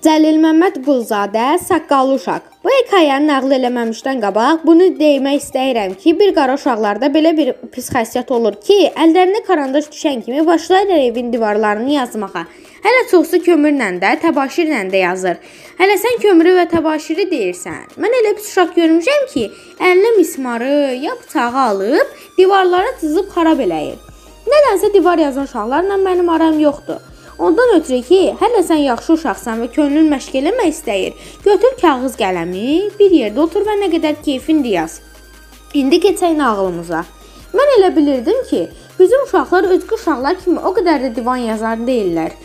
Cəlil Məmməd Quluzadə, Saqqallı uşaq. Bu hekayəni nəql eləməmişdən qabaq bunu demək istəyirəm ki, bir qara uşaqlarda belə bir pis xəssiyyət olur ki, əllərinə karandaş düşən kimi başlayırlar evin divarlarını yazmağa. Hələ çoxsu kömürlə də, təbaşirlə də yazır. Hələ sən kömürü və təbaşiri deyirsən. Mən elə pis uşaq görmüşəm ki, əlinə mismarı ya bıçağı alıb divarlara cızıb xarab eləyir. Nədənsə divar yazan uşaqlarla mənim aram yoxdur. Ondan ötürü ki, hələ sən yaxşı uşaqsan və könlün məşq eləmək istəyir. Götür kağız qələmi, bir yerdə otur və nə qədər keyfindir yaz. İndi keçək nağılımıza. Mən elə bilirdim ki, bizim uşaqlar özgü uşaqlar kimi o qədər də divan yazar deyirlər.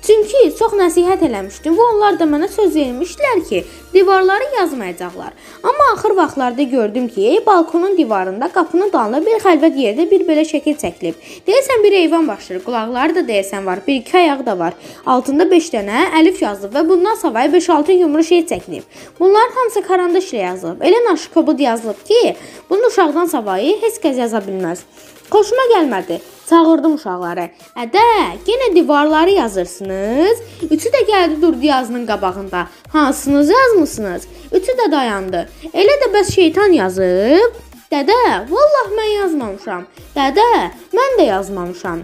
Çünki çox nəsihət eləmişdim və onlar da mənə söz vermişdilər ki, divarları yazmayacaqlar. Amma axır vaxtlarda gördüm ki, balkonun divarında qapının dalında bir xəlvət yerdə bir belə şəkil çəkilib. Deyəsən bir heyvan başlayır, qulaqları da deyəsən var, bir iki ayağı da var. Altında 5 dənə əlif yazılıb və bundan savayı 5-6 yumru şey çəkilib. Bunların hamısı karandaşla yazılıb. Elə naşıkobud yazılıb ki, bunu uşaqdan savayı heç kəs yaza bilməz. Xoşuma gəlmədi. Çağırdım uşaqları. Ədə, yenə divarları yazırsınız. Üçü də gəldi durdu yazının qabağında. Hansınızı yazmısınız? Üçü də dayandı. Elə də bəs şeytan yazıb. Dədə, vallah mən yazmamışam. Dədə, mən də yazmamışam.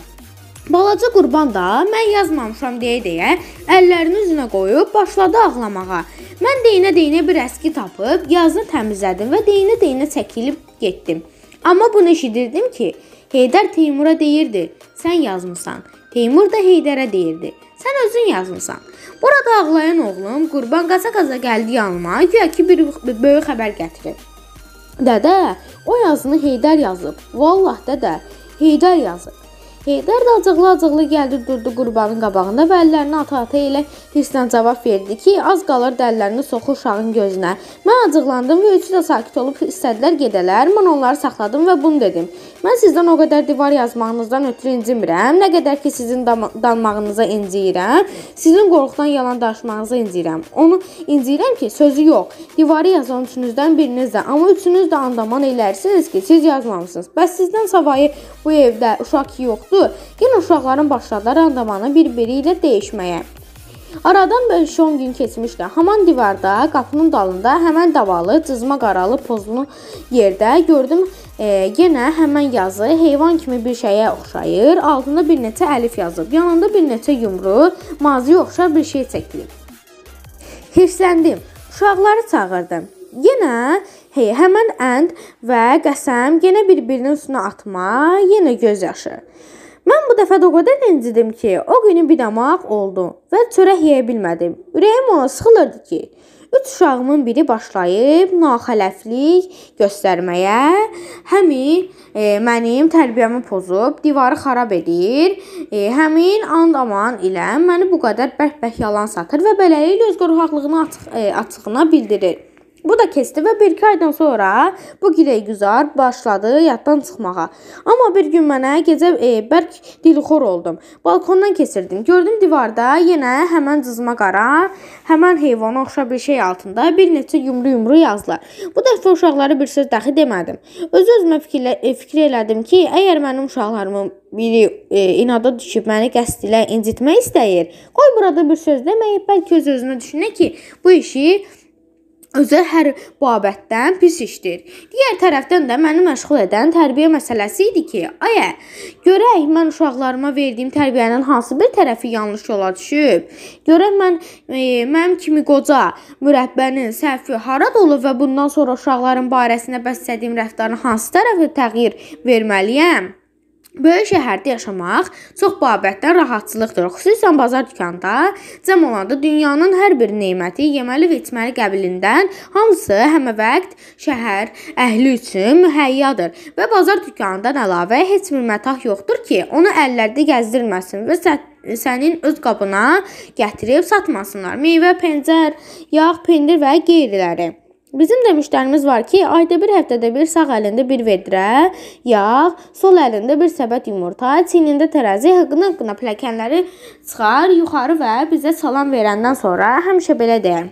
Balaca qurban da mən yazmamışam deyə əllərini üzünə qoyub başladı ağlamağa. Mən deyinə bir əski tapıb yazını təmizlədim və deyinə çəkilib getdim. Amma bunu eşidirdim ki, Heydər Teymura deyirdi, sən yazmısan. Teymur da Heydərə deyirdi, sən özün yazmısan. Burada ağlayan oğlum qurban qaça-qaça gəldi yanıma, güya ki bir böyük xəbər gətirir. Dədə, o yazını Heydər yazıb. Vallah dədə, Heydər yazıb. Heydər də acıqlı gəldi durdu qurbanın qabağında və əllərini ata-ata elə hisslə cavab verdi ki, az qalır dəllərini soxur uşağın gözünə. Mən acıqlandım və üçü də sakit olub istədilər gedələr. Mən onları saxladım və bunu dedim. Mən sizdən o qədər divar yazmağınızdan ötürü incimirəm, nə qədər ki sizin danmağınıza inciyirəm, sizin qorxudan yalan danışmağınıza inciyirəm. Onu inciyirəm ki, sözü yox. Divarı yazan üçünüzdən biriniz də, amma üçünüz də andaman elərsiniz ki, siz yazmamısınız. Bəs sizdən savayı bu evdə uşaq yoxdur. Yenə uşaqların başladılar andamanı bir-biri ilə dəyişməyə. Aradan 5-10 gün keçmişdi. Haman divarda, qapının dalında, həmən davalı, cızma qaralı, pozlu yerdə gördüm. Yenə həmən yazı heyvan kimi bir şeyə oxşayır. Altında bir neçə əlif yazıb. Yanında bir neçə yumru, maziyə oxşar bir şey çəkilib. Hirsləndim. Uşaqları çağırdım. Yenə həmən ənd və qəsəm yenə bir-birinin üstünə atma, yenə göz yaşı. Mən bu dəfə də o qədər incidim ki, o günü bir damaq oldu və çörək yeyə bilmədim. Ürəyim ona sıxılırdı ki, 3 uşağımın biri başlayıb naxələflik göstərməyə, mənim tərbiyəmi pozub, divarı xarab edir, həmin andaman ilə məni bu qədər bərk-bərk yalan satır və beləliklə öz qorxaqlığını açığına bildirir. Bu da keçdi və 1-2 aydan sonra bu giləy-güzar başladı yaddan çıxmağa. Amma bir gün mənə gecə bərk dilxor oldum. Balkondan keçirdim. Gördüm divarda yenə həmən cızma qara, həmən heyvana oxşar bir şey altında bir neçə yumru yazılar. Bu dəfə uşaqlara bir söz daxil demədim. Öz-özümə fikir elədim ki, əgər mənim uşaqlarımın biri inada düşüb məni qəsd ilə incitmək istəyir, qoy burada bir söz deməyib, bəlkə öz-özünə düşünə ki, bu işi özü hər babətdən pis işdir. Digər tərəfdən də məni məşğul edən tərbiyə məsələsi idi ki, görək mən uşaqlarıma verdiyim tərbiyənin hansı bir tərəfi yanlış yola düşüb. Görək mənim kimi qoca mürəbbənin səhvi harada olub və bundan sonra uşaqların barəsində bəslədiyim rəftarın hansı tərəfi təğyir verməliyəm. Böyük şəhərdə yaşamaq çox babətdən rahatçılıqdır. Xüsusən bazar dükanında cəm olanda dünyanın hər bir neməti yeməli və içməli qəbilindən hamısı həməvaxt şəhər əhli üçün mühəyyadır və bazar dükanından əlavə heç bir mətah yoxdur ki, onu əllərdə gəzdirməsin və sənin öz qabına gətirib satmasınlar. Meyvə, pencər, yağ, pendir və qeyriləri. Bizim demişlərimiz var ki, ayda bir həftədə bir sağ əlində bir vedrə, yağ, sol əlində bir səbət yumurta, çiynində tərəzi, hıqqına pilləkənləri çıxar yuxarı və bizə salam verəndən sonra həmişə belə deyər.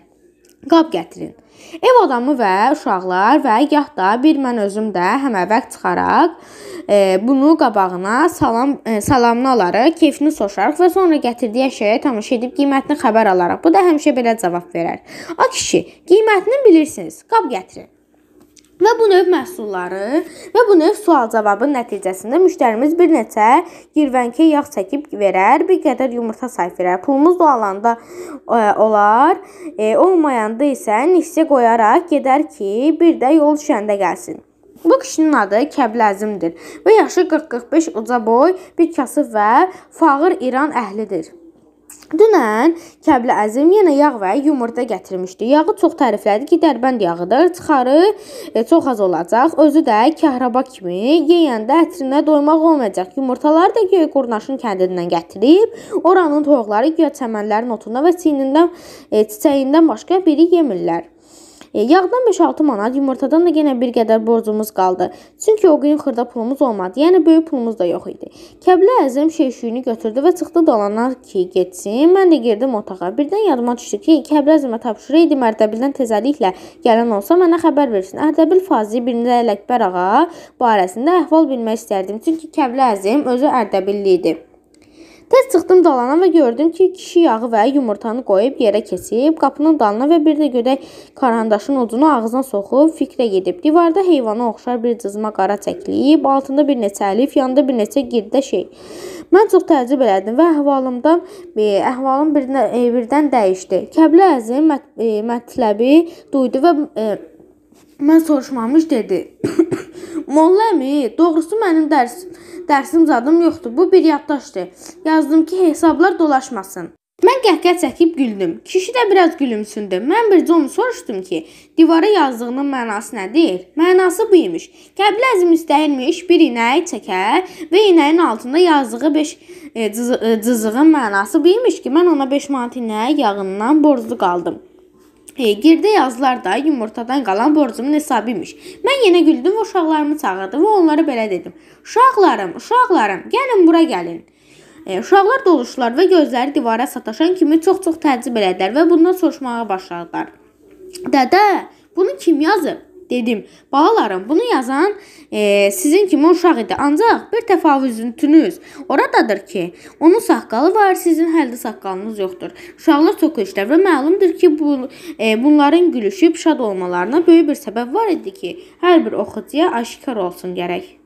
Qab gətirin. Ev adamı və uşaqlar və gah da bir mən özüm də həməvəq çıxaraq bunu qabağına salamını alarıq, keyfini soruşarıq və sonra gətirdiyi əşyaya tamaşa edib qiymətini xəbər alaraq. Bu da həmişə belə cavab verər. A kişi, qiymətini bilirsiniz, qab gətirin. Və bu növ məhsulları və bu növ sual-cavabın nəticəsində müştərimiz bir neçə girvənkə yağ çəkib verər, bir qədər yumurta sayıb verər. Pulumuz da alanda olar, olmayanda isə nisçə qoyaraq gedər ki, bir də yol düşəndə gəlsin. Bu kişinin adı Kəbləzimdir və yaşı 40-45 uca boy, bir kasıb və fağır İran əhlidir. Dünən Kəbləzim yenə yağ və yumurta gətirmişdi. Yağı çox təriflədi ki, Dərbənd yağıdır, çıxarı çox az olacaq. Özü də kəhraba kimi yeyəndə ətrinə doymaq olmayacaq. Yumurtaları da göy qurnaşın kəndindən gətirib, oranın toyuqları göy çəmənlərin otunda və çiçəyindən başqa biri yemirlər. Yağdan 5-6 manat, yumurtadan da yenə bir qədər borcumuz qaldı. Çünki o gün xırda pulumuz olmadı, yəni böyük pulumuz da yox idi. Kəbləzim şeyşüyünü götürdü və çıxdı dolana ki, getsin. Mən də girdim otağa. Birdən yadıma düşdü ki, Kəbləzimə tapşırıydı Ərdəbildən tezəliklə gələn olsa mənə xəbər versin. Ərdəbil Fazi Mirzə Ələkbər ağa barəsində əhval bilmək istərdim. Çünki Kəbləzim özü Ərdəbilli idi. Tez çıxdım dalana və gördüm ki, kişi yağı və yumurtanı qoyub yerə keçib, qapının dalına və bir də gödək karandaşın ucunu ağzına soxub fikrə gedib. Divarda heyvana oxşar bir cızma qara çəkilib, altında bir neçə əlif, yanında bir neçə girdə şey. Mən çox təəccüb elədim və əhvalım birdən dəyişdi. Kəbləzim mətləbi duydu və mən soruşmamış dedi. Molla əmi, doğrusu mənim dərsim zadım yoxdur. Bu bir yaddaşdır. Yazdım ki, hesablar dolaşmasın. Mən qəhqəh çəkib güldüm. Kişi də biraz gülümsündü. Mən bircə onu soruşdum ki, divara yazdığının mənası nədir? Mənası bu imiş. Kəbləzim istəyirmiş bir inək çəkər və inəyin altında yazdığı 5 cızığın mənası bu imiş ki, mən ona 5 manat inək yağından borclu qaldım. Girdə yazılar da yumurtadan qalan borcumun hesabı imiş. Mən yenə güldüm və uşaqlarımı çağırdım və onlara belə dedim. Uşaqlarım, gəlin bura gəlin. Uşaqlar doluşdular və gözləri divara sataşan kimi çox-çox təəccüb elədilər və bundan soruşmağa başladılar. Dədə, bunu kim yazıb? Dedim, balalarım, bunu yazan sizin kimi uşaq idi. Ancaq bir təfavüzüntünüz oradadır ki, onun saqqalı var, sizin həldə saqqalınız yoxdur. Uşaqlar çox işlər və məlumdur ki, bunların gülüşüb şad olmalarına böyük bir səbəb var idi ki, hər bir oxucuya aşikar olsun gərək.